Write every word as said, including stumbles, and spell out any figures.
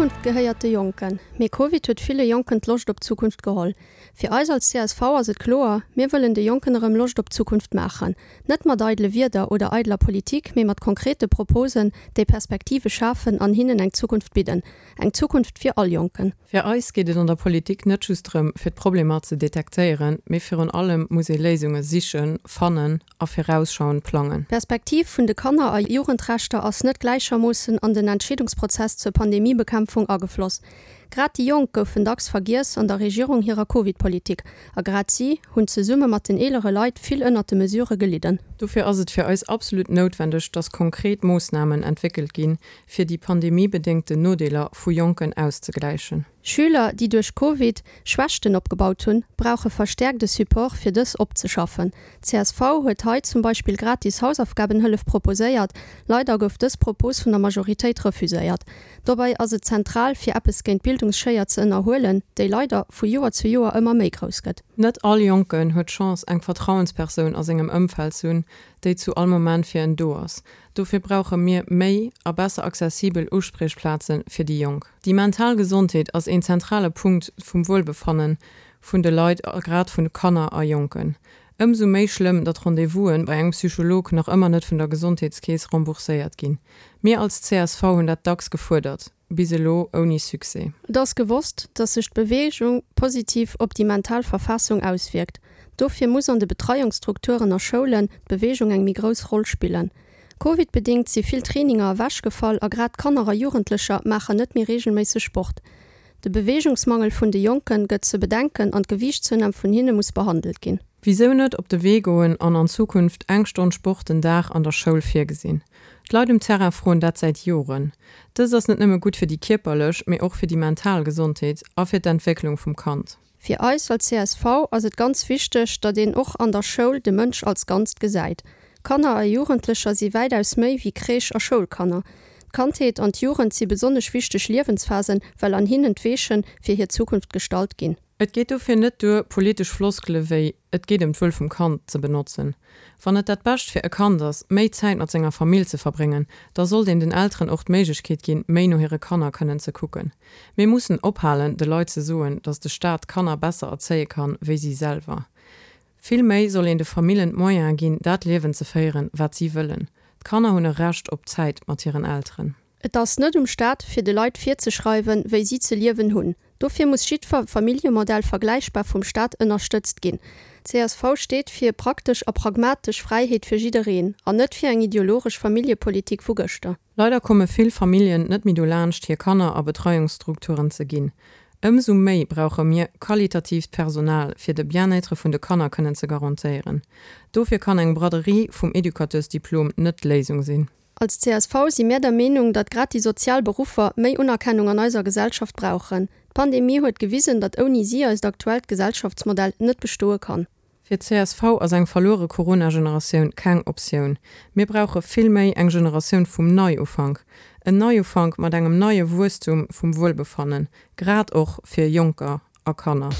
D'Zukunft gehéiert de Jonken. Mee Covid huet ville Jonken d'Loscht op d'Zukunft geholl. Fir eis als C S V ass et kloer, mir wëllen de Jonken erëm Loscht op d'Zukunft maachen. Net mat eidele Wierder oder eideler Politik, mee mat konkrete Proposen, déi Perspektive schafen an hinnen eng Zukunft bidden. Eng Zukunft fir all Jonken. Fir eis geet et an der Politik net just drëm, fir d'Problemer ze detektéieren, mee virun allem muss ee Léisunge sichen, fannen a virausschauend plangen. D'Perspektiv vun de Kanner a Jugendrechter ass net gläichermoossen an den Entscheedungsprozess zur Pandemiebekämpfung agefloss. Grad déi Jonk goufen dacks vergiess an der Regierung hirer Covid-Politik a grad si hunn zesumme mat den eelere Leit vill ënnert de Mesurë gelidden. Dofir ass et fir eis absolut noutwendeg, dass konkret Moossnamen entwéckelt ginn, fir déi pandemiebedéngten Nodeeler vu Jonken auszegläichen. Schüler, déi duerch Covid Schwächten opgebaut hunn, brauche verstäerkte Support, fir dës opzeschaffen. C S V huet hei zum Beispill gratis Hausaufgabenhëllef proposéiert, leider gouf dës Propos vun der Majoritéit refuséiert. Dobäi ass et zentral, fir eppes géint d'Bildungsschéier ze ënnerhuelen, déi leider vu Joer zu Joer ëmmer méi grouss gëtt. Net all Jonken huet d'Chance, eng Vertrauenspersoun a sengem Ëmfeld ze hunn, déi zu all Moment fir en do ass. Dofir brauche mir méi a besser accessibel Uspriechplaze fir déi Jonk. Déi mental Gesondheet ass een zentrale Punkt vum Wuelbefanne vun de Leit, grad vun de Kanner a Jonken. Ëmsou méi schlëmm, datt Rendez-vouse bei engem Psycholog nach ëmmer net vun der Gesondheetskeess rembourséiert ginn. Mir als C S V hunn dat dacks gefuerdert, bis elo ouni Succès. Et ass gewosst, datt sech d'Beweegung positiv op déi mental Verfassung auswierkt. Dofir muss an de Betreiungsstrukturen a Schoulen d'Beweegung eng méi grouss Roll spillen. Covid-bedéngt si vill Traininger ewechgefall a grad Kanner a Jugendlecher maachen net méi reegelméisseg Sport. De Beweegungsmangel vun de Jonke gëtt ze bedenken an d'Gewiichtszounahm vun hinne muss behandelt ginn. Wisou net op de Wee goen an an Zukunft eng Stonn Sport den Dag an der Schoul virgesinn? D'Leit um Terrain froen dat säit Joren. Dëst ass net nëmme gutt fir déi kierperlech, mee och fir déi mental Gesondheet a fir d'Entwécklung vum Kand. Fir eis als C S V ass et ganz wichteg, datt een och an der Schoul de Mënsch als Ganzt gesäit. Kanner a Jugendlecher si wäitaus méi wéi Crèche a Schoulkanner. D'Kandheet an d'Jugend si besonnesch wichteg Liewensphasen, well an hinnen d'Weeche fir hir Zukunft gestallt ginn. Et geet dofir net duer, politesch Floskele wéi et geet ëm d'Wuel vum Kand ze benotzen. Wann et dat Bescht fir e Kand ass, méi Zäit mat senger Famill ze verbréngen, da sollt een den Elteren och d'Méiglechkeet ginn, méi no hire Kanner kënnen ze kucken. Mir mussen ophalen, de Leit ze soen, datt de Staat Kanner besser erzéie kann, wéi si selwer. Vill méi soll een de Famillen d'Moyene ginn, dat Liewen ze féieren, wat si wëllen. D'Kanner hunn e Recht op Zäit mat hiren Elteren. Et ass net um Staat, fir de Leit virzeschreiwen, wéi si ze liewen hunn. Dofir muss jiddwer Familljemodell vergläichbar vum Staat ënnerstëtzt ginn. C S V steet fir praktesch a pragmatesch Fräiheet fir jiddereen an net fir eng ideologesch Familljepolitik vu gëschter. Leider komme vill Familljen net méi dolaanscht, hir Kanner a Betreiungsstrukturen ze ginn. Ëmsou méi brauche mir qualitatiivt Personal, fir de Bien-être vun de Kanner kënnen ze garantéieren. Dofir kann eng Braderie vum Educateursdiplom net d'Léisung sinn. Als C S V si mir der Meenung, datt grad déi sozial Beruffer méi Unerkennung an eiser Gesellschaft brauchen. D'Pandemie huet gewisen, datt ouni si eist aktuellt Gesellschaftsmodell net bestoe kann. Fir d'C S V ass eng verluere Corona-Generatioun keng Optioun. Mir brauche vill méi eng Generatioun vum Neiufank. En Neiufank mat engem neie Wuesstum vum Wuelbefannen, grad och fir Jonker a Kanner.